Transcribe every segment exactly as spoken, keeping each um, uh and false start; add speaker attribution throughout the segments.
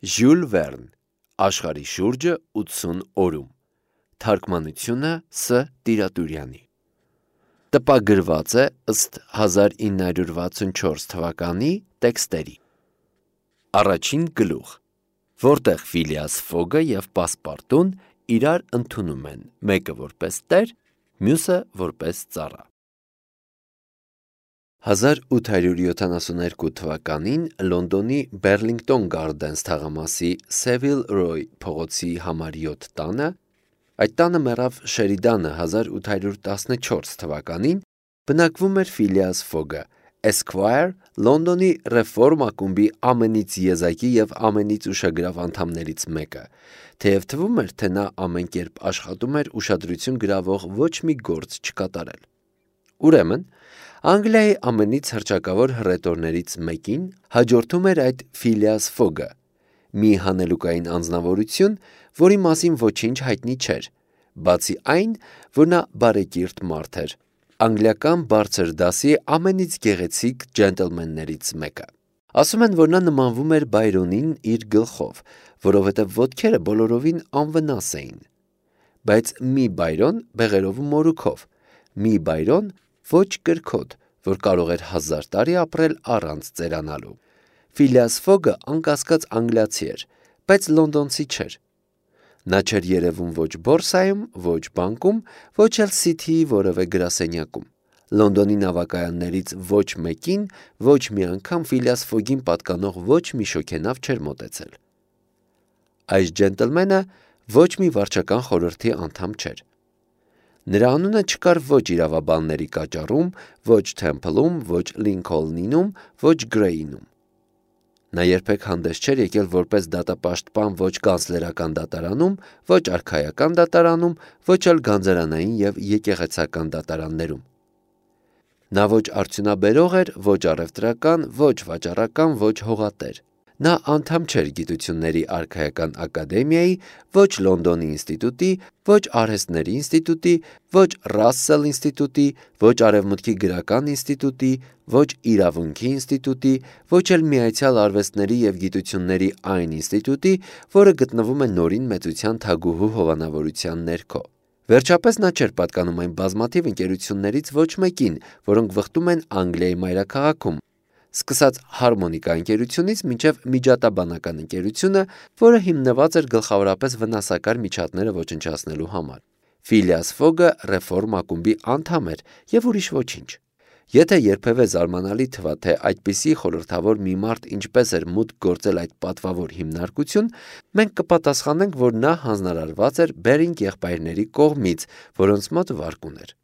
Speaker 1: Ժյուլ Վերն, Աշխարհի շուրջը ութսուն օրում, թարգմանությունը Ս. Տիրատուրյանի։ Տպագրված է ըստ հազար ինը հարյուր վաթսունչորս թվականի տեքստերի։ Առաջին գլուխ, որտեղ Ֆիլիաս Ֆոգը և Պասպարտուն իրար ընդունում են, մեկը որպես տեր, մյուսը որպես ծառա։ հազար ութ հարյուր յոթանասունհինգ թվականին Լոնդոնի Բեռլինգտոն Գարդենս թաղամասի Սևիլ Ռոյ փողոցի համար յոթ տանը, այդ տանը մեռավ Շերիդանը հազար ութ հարյուր տասնչորս թվականին, բնակվում էր Ֆիլիաս Ֆոգը, Esquire, Լոնդոնի Ռեֆորմ ակումբի ամենից եզակի և ամենից ուշագրավ անդամներից մեկը, թեև թվում էր, թե նա ամեն կերպ աշխատում էր ուշադրություն գրավող ոչ մի գործ չկատարել։ Ուրեմն, Անգլիայի ամենից հռչակավոր հռետորներից մեկին հաջորդում էր այդ Ֆիլիաս Ֆոգը, մի հանելուկային անձնավորություն, որի մասին ոչինչ հայտնի չէր, բացի այն, որ նա բարեկիրթ մարդ էր, անգլիական բարձր դասի ամենից գեղեցիկ ջենտլմեններից մեկը։ Ասում են, որ նա նմանվում էր Բայրոնին իր գլխով, որովհետև ոտքերը բոլորովին անվնաս էին։ Բայց մի Բայրոն բեղերով ու մորուքով, մի Բայրոն ոչ կրքոտ, որ կարող էր հազար տարի ապրել առանց ծերանալու։ Ֆիլիաս Ֆոգը անկասկած անգլիացի էր, բայց լոնդոնցի չէր։ Նա չէր երևում ոչ բորսայում, ոչ բանկում, ոչ էլ Սիթիի որևէ գրասենյակում։ Լոնդոնի նավակայաններից ոչ մեկին ոչ մի անգամ Ֆիլիաս Ֆոգին պատկանող ոչ մի շոգենավ չէր մոտեցել։ Այս ջենտլմենը ոչ մի վարչական խորհրդի անդամ չէր։ Նրա անունը չկար ոչ իրավաբանների կաճառում, ոչ Թեմփլում, ոչ Լինքոլնում, ոչ Գրեյնում։ Նա երբեք հանդես չէր եկել որպես դատապաշտպան ոչ կանցլերական դատարանում, ոչ արքայական դատարանում, ոչ էլ գանձարանային և եկեղեցական դատարաններում։ Նա ոչ արդյունաբերող էր, ոչ առևտրական, ոչ վաճառական, ոչ հողատեր։ Նա անդամ չէր Գիտությունների արքայական ակադեմիայի, ոչ Լոնդոնի ինստիտուտի, ոչ արհեստների ինստիտուտի, ոչ Ռասսել ինստիտուտի, ոչ Արևմուտքի գրական ինստիտուտի, ոչ իրավունքի ինստիտուտի, ոչ էլ Միացյալ արվեստների և գիտությունների այն ինստիտուտի, որը գտնվում է Նորին մեծության թագուհու հովանավորության ներքո։ Վերջապես նա չէր պատկանում այն բազմաթիվ ընկերություններից ոչ մեկին, որոնք վխտում են Անգլիայի մայրաքաղաքում, սկսած Հարմոնիկա ընկերությունից մինչև Միջատաբանական ընկերությունը, որը հիմնված էր գլխավորապես վնասակար միջատները ոչնչացնելու համար։ Ֆիլիաս Ֆոգը Ռեֆորմ ակումբի անդամ էր և ուրիշ ոչինչ։ Եթե երբևէ զարմանալի թվա, թե այդպիսի խորհրդավոր մի մարդ ինչպես էր մուտք գործել այդ պատվավոր հիմնարկություն, մենք կպատասխանենք, որ նա հանձնարարված էր Բերինգ եղբայրների կողմից, որոնց մոտ վարկ ուներ։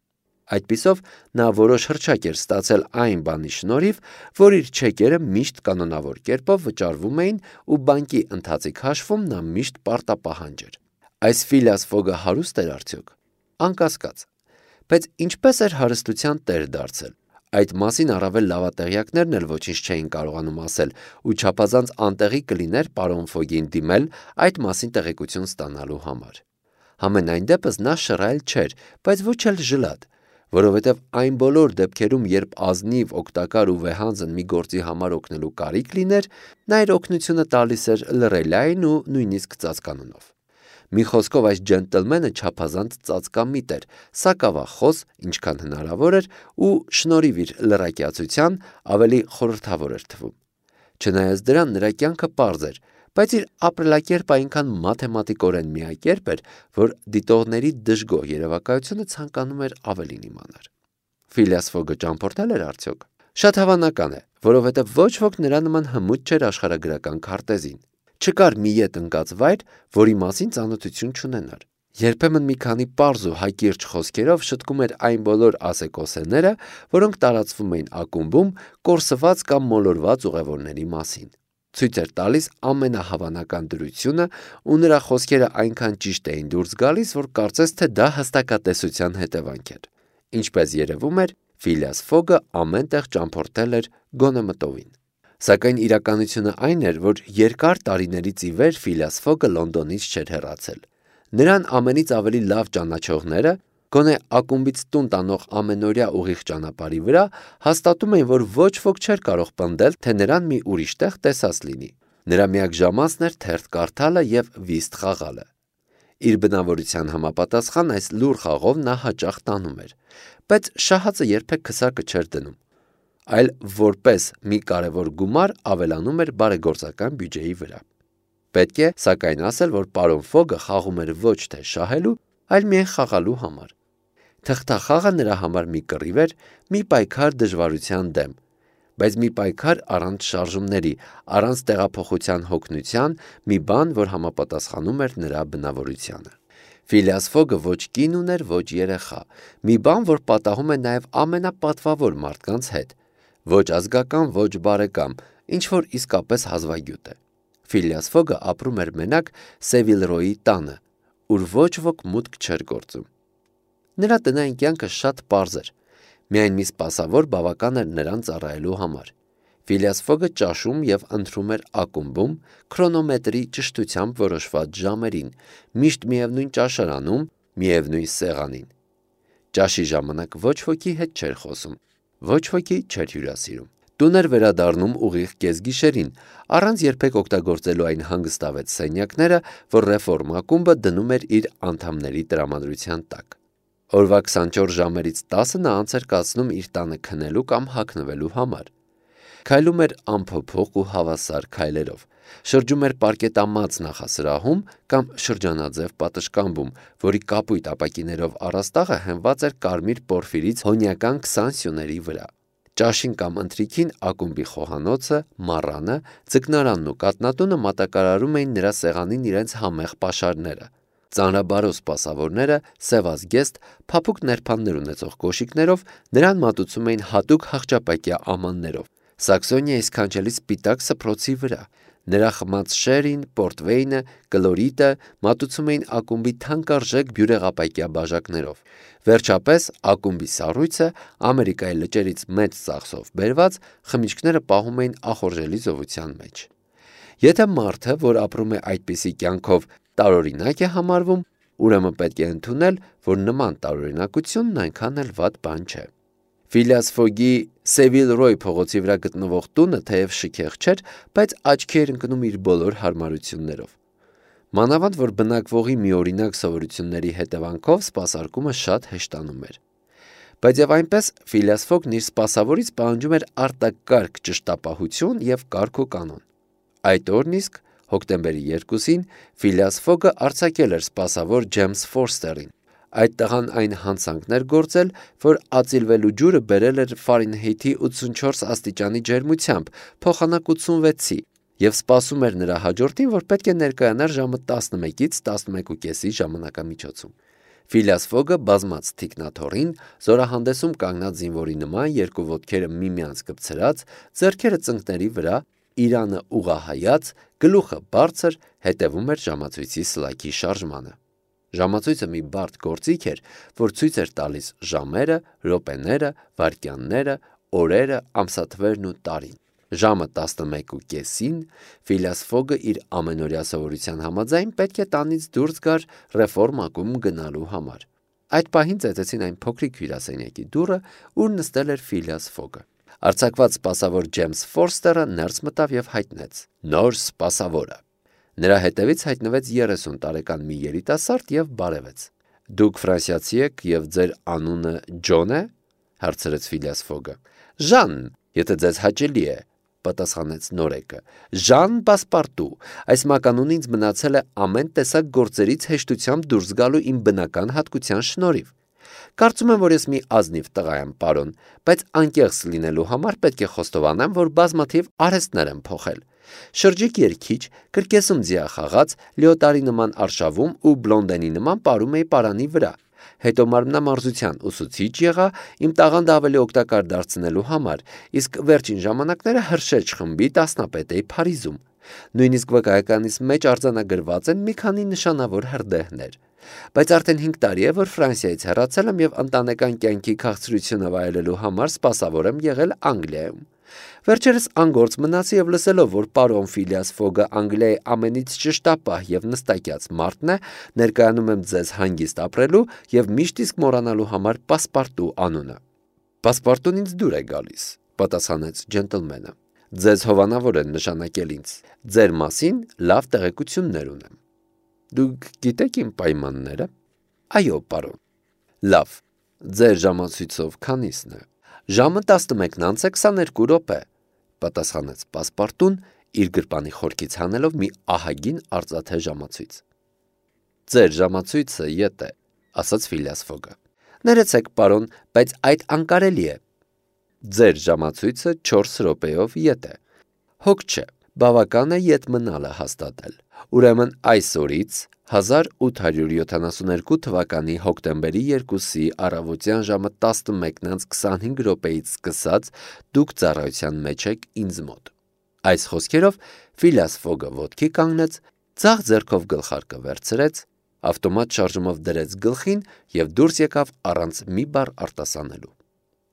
Speaker 1: Այդպիսով նա որոշ հռչակ էր ստացել այն բանի շնորհիվ, որ իր չեկերը միշտ կանոնավոր կերպով վճարվում էին ու բանկի ընթացիկ հաշվում նա միշտ պարտապահանջ էր։ Այս Ֆիլիաս Ֆոգը հարուստ էր արդյոք։ Անկասկած։ Բայց ինչպես էր հարստության տեր դարձել։ Այդ մասին առավել լավատեղյակներն էլ ոչինչ չէին կարողանում ասել, ու չափազանց անտեղի կլիներ պարոն Ֆոգին դիմել այդ մասին տեղեկություն ստանալու համար։ Համենայն դեպս նա շռայլ չէր, բայց ոչ էլ ժլատ, որովհետև այն բոլոր դեպքերում, երբ ազնիվ, օգտակար ու վեհանձն մի գործի համար օգնելու կարիք լիներ, նա իր օգնությունը տալիս էր լռելային ու նույնիսկ ծածկանունով։ Մի խոսքով այս ջենտլմենը չափազանց ծածկամիտ էր, սակավախոս, ինչքան հնարավոր էր, ու շնորհիվ իր լռակյացության ավելի խորհրդավոր էր թվում։ Չնայած դրան նրա կյանքը պարզ էր, բայց իր ապրելակերպը այնքան մաթեմատիկորեն միակերպ էր, որ դիտողների դժգոհ երևակայությունը ցանկանում էր ավելին իմանալ։ Ֆիլիաս Ֆոգը ճամփորդել էր արդյոք։ Շատ հավանական է, որովհետև ոչ ոք նրա նման հմուտ չէր աշխարհագրական քարտեզին։ Չկար մի ետ ընկած վայր, որի մասին ծանոթություն չունենար։ Երբեմն մի քանի պարզ ու հակիրճ խոսքերով շտկում էր այն բոլոր ասեկոսեները, որոնք տարածվում էին ակումբում կորսված կամ մոլորված ուղևորների մասին։ Ցույց էր տալիս ամենահավանական դրությունը, ու նրա խոսքերը այնքան ճիշտ էին դուրս գալիս, որ կարծես թե դա հստակատեսության հետևանք էր։ Ինչպես երևում էր, Ֆիլիաս Ֆոգը ամեն տեղ ճամփորդել էր գոնե մտովին։ Սակայն իրականությունը այն էր, որ երկար տարիներից ի վեր Ֆիլիաս Ֆոգը Լոնդոնից չէր հեռացել։ Նրան ամենից ավելի լավ ճանաչողները, գոնե ակումբից տուն տանող ամենօրյա ուղիղ ճանապարհի վրա, հաստատում էին, որ ոչ ոք չէր կարող պնդել, թե նրան մի ուրիշ տեղ տեսած լինի։ Նրա միակ ժամանցն էր թերթ կարդալը և վիստ խաղալը։ Իր բնավորության համապատասխան այս լուռ խաղով նա հաճախ տանում էր, բայց շահածը երբեք քսակը չէր դնում, այլ որպես մի կարևոր գումար ավելանում էր բարեգործական բյուջեի վրա։ Պետք է սակայն ասել, որ պարոն Ֆոգը խաղում էր ոչ թե շահելու, այլ միայն խաղալու համար։ Թղթախաղը նրա համար մի կռիվ էր, մի պայքար դժվարության դեմ, բայց մի պայքար առանց շարժումների, առանց տեղափոխության հոգնության, մի բան, որ համապատասխանում էր նրա բնավորությանը։ Ֆիլիաս Ֆոգը ոչ կին ուներ, ոչ երեխա, մի բան, որ պատահում է նաև ամենապատվավոր մարդկանց հետ, ոչ ազգական, ոչ բարեկամ, ինչ որ իսկապես հազվագյուտ է։ Ֆիլիաս Ֆոգը ապրում էր մենակ Սևիլ Ռոյի տանը, ուր ոչ ոք մուտք չէր գործում։ Նրա տնային կյանքը շատ պարզ էր, միայն մի սպասավոր բավական էր նրան ծառայելու համար։ Ֆիլիաս Ֆոգը ճաշում և ընթրում էր ակումբում, քրոնոմետրի ճշտությամբ որոշված ժամերին, միշտ միևնույն ճաշարանում, միևնույն սեղանին։ Ճաշի ժամանակ ոչ ոքի հետ չէր խոսում, ոչ ոքի չէր հյուրասիրում։ Տուն էր վերադառնում ուղիղ կեսգիշերին, առանց երբեք օգտագործելու այն հանգստավետ սենյակները, որ Ռեֆորմ ակումբը դնում էր իր անդամների տրամադրության տակ։ Օրվա քսանչորս ժամերից տասը նա անց էր կացնում իր տանը քնելու կամ հագնվելու համար։ Քայլում էր անփոփոխ ու հավասար քայլերով, շրջում էր պարկետամած նախասրահում կամ շրջանաձև պատշգամբում, որի կապույտ ապակիներով առաստաղը հենված էր կարմիր պորֆիրից հոնյական քսան սյուների վրա։ Ճաշին կամ ընթրիքին ակումբի խոհանոցը, մառանը, ձկնարանն ու կաթնատունը մատակարարում էին նրա սեղանին իրենց համեղ պաշարները։ Ծանրաբարո սպասավորները, սևազգեստ, փափուկ ներփաններ ունեցող կոշիկներով նրան մատուցում էին հատուկ հախճապակյա ամաններով, Սաքսոնիայի սքանչելի սպիտակ սփռոցի վրա։ Նրա խմած շերին, պորտվեյնը, կլորիտը մատուցում էին ակումբի թանկարժեք բյուրեղապակյա բաժակներով։ Վերջապես ակումբի սառույցը Ամերիկայի լճերից մեծ ծախսով բերված խմիչքները պահում էին ախորժելի զովության մեջ։ Եթե մարդը, որ ապրում է այդպիսի կյանքով, տարօրինակ է համարվում, ուրեմն պետք է ընդունել, որ նման տարօրինակությունն այնքան էլ վատ բան չէ։ Ֆիլիաս Ֆոգի Սևիլ Ռոյ փողոցի վրա գտնվող տունը թեև շքեղ չէր, բայց աչքի էր ընկնում իր բոլոր հարմարություններով։ Մանավանդ որ բնակվողի միօրինակ սովորությունների հետևանքով սպասարկումը շատ հեշտանում էր։ Բայց եւ այնպես Ֆիլիաս Ֆոգն իր սպասավորից պահանջում էր արտակարգ ճշտապահություն եւ կարգ ու կանոն։ Այդ օրն իսկ հոկտեմբերի երկուսին Ֆիլիաս Ֆոգը արձակել էր սպասավոր Ջեյմս Ֆորստերին։ Այդ տղան այն հանցանքն էր գործել, որ ածիլվելու ջուրը բերել էր Ֆարենհեյթի ութսունչորս աստիճանի ջերմությամբ, փոխանակ ութսունվեցի, եւ սպասում էր նրա հաջորդին, որ պետք է ներկայանար ժամը տասնմեկից տասնմեկուկեսի ժամանակամիջոցում։ Ֆիլիաս Ֆոգը բազմաց թիկնաթոռին, զորահանդեսում կանգնած զինվորի նման, երկու ոտքերը միմյանց կպցրած, ձեռքերը ծնկների վրա, իրանը ուղղահայաց, գլուխը բարձր, հետևում էր ժամացույցի սլաքի շարժմանը։ Ժամացույցը մի բարդ գործիք էր, որ ցույց էր տալիս ժամերը, րոպեները, վայրկյանները, օրերը, ամսաթվերն ու տարին։ Ժամը տասնմեկուկեսին Ֆիլիաս Ֆոգը իր ամենօրյա սովորության համաձայն պետք է տանից դուրս գար Ռեֆորմ ակումբ գնալու համար։ Այդ պահին ծեծեցին այն փոքրիկ հյուրասենյակի դուռը, ուր նստել էր Ֆիլիաս Ֆոգը։ Արձակված սպասավոր Ջեյմս Ֆորստերը ներս մտավ եւ հայտնեց. «Նոր սպասավորը»։ Նրա հետևից հայտնվեց երեսուն տարեկան մի երիտասարդ եւ բարևեց։ «Դուք ֆրանսիացի եք եւ ձեր անունը Ջոն է»։ հարցրեց Ֆիլիաս Ֆոգը։ «Ժան, եթե ձեզ հաճելի է», պատասխանեց նորեկը։ «Ժան Պասպարտու, այս մականունը ինձ մնացել է ամեն տեսակ գործերից հեշտությամբ դուրս գալու իմ բնական հատկության շնորհիվ։ Կարծում եմ, որ ես մի ազնիվ տղա եմ, պարոն, բայց անկեղծ լինելու համար պետք է խոստովանեմ, որ բազմաթիվ արհեստներ եմ փոխել։ Շրջիկ երգիչ, կրկեսում ձիախաղաց, լիոտարի նման արշավում ու բլոնդենի նման պարում էի պարանի վրա։ Հետո մարմնամարզության ուսուցիչ եղա իմ տաղանդը ավելի օգտակար դարձնելու համար, իսկ վերջին ժամանակները հրշեջ խմբի դասնապետ էի Փարիզում։ Նույնիսկ վկայականիս մեջ արձանագրված են մի քանի նշանավոր հրդեհներ։ Բայց արդեն հինգ տարի է, որ Ֆրանսիայից հեռացել եմ եւ ընտանեկան կյանքի քաղցրությունը վայելելու համար սպասավոր եմ եղել Անգլիայում։ Վերջերս անգործ մնացի եւ լսելով, որ պարոն Ֆիլիաս Ֆոգը Անգլիայի ամենից ճշտապահ եւ նստակյաց մարդն է, ներկայանում եմ ձեզ հանգիստ ապրելու եւ միշտ իսկ մոռանալու համար Պասպարտու անունը։ Պասպարտուն ինձ դուր է գալիս, պատասխանեց ջենտլմենը։ Ձեզ հովանավոր են նշանակել ինձ։ Ձեր մասին լավ տեղեկություններ ունեմ։ Դուք գիտեք իմ պայմանները։ Այո, պարոն։ Լավ։ Ձեր ժամացույցով քանիսն է։ Ժամը տասնմեկն անց է քսաներկու րոպե, պատասխանեց պասպարտուն, իր գրպանի խորքից հանելով մի ահագին արծաթե ժամացույց։ Ձեր ժամացույցը ետ է, ասաց Ֆիլիաս Ֆոգը։ Ներեցեք, պարոն, բայց այդ անկարելի է։ Ձեր ժամացույցը չորս րոպեով ետ է։ Հոգ չէ, բավական է ետ մնալը հաստատել։ Ուրեմն այս օրից հազար ութ հարյուր յոթանասունհինգ թվականի հոկտեմբերի երկուսի առավոտյան ժամը տասնմեկն անց քսանհինգ րոպեից սկսած դուք ծառայության մեջ եք ինձ մոտ։ Այս խոսքերով Ֆիլիաս Ֆոգը ոտքի կանգնեց, ձախ ձեռքով գլխարկը վերցրեց, ավտոմատ շարժումով դրեց գլխին և դուրս եկավ առանց մի բառ արտասանելու։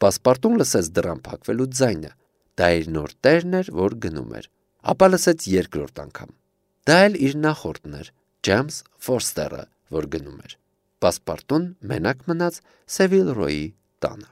Speaker 1: Պասպարտուն լսեց դռան փակվելու ձայնը, դա իր նոր տերն էր, որ գնում էր, ապա լսեց երկրորդ անգամ։ Դա էլ իր նախորդն էր, Ջեյմս Ֆորստերը, որ գնում էր։ Պասպարտուն մենակ մնաց Սևիլ Ռոյի տանը։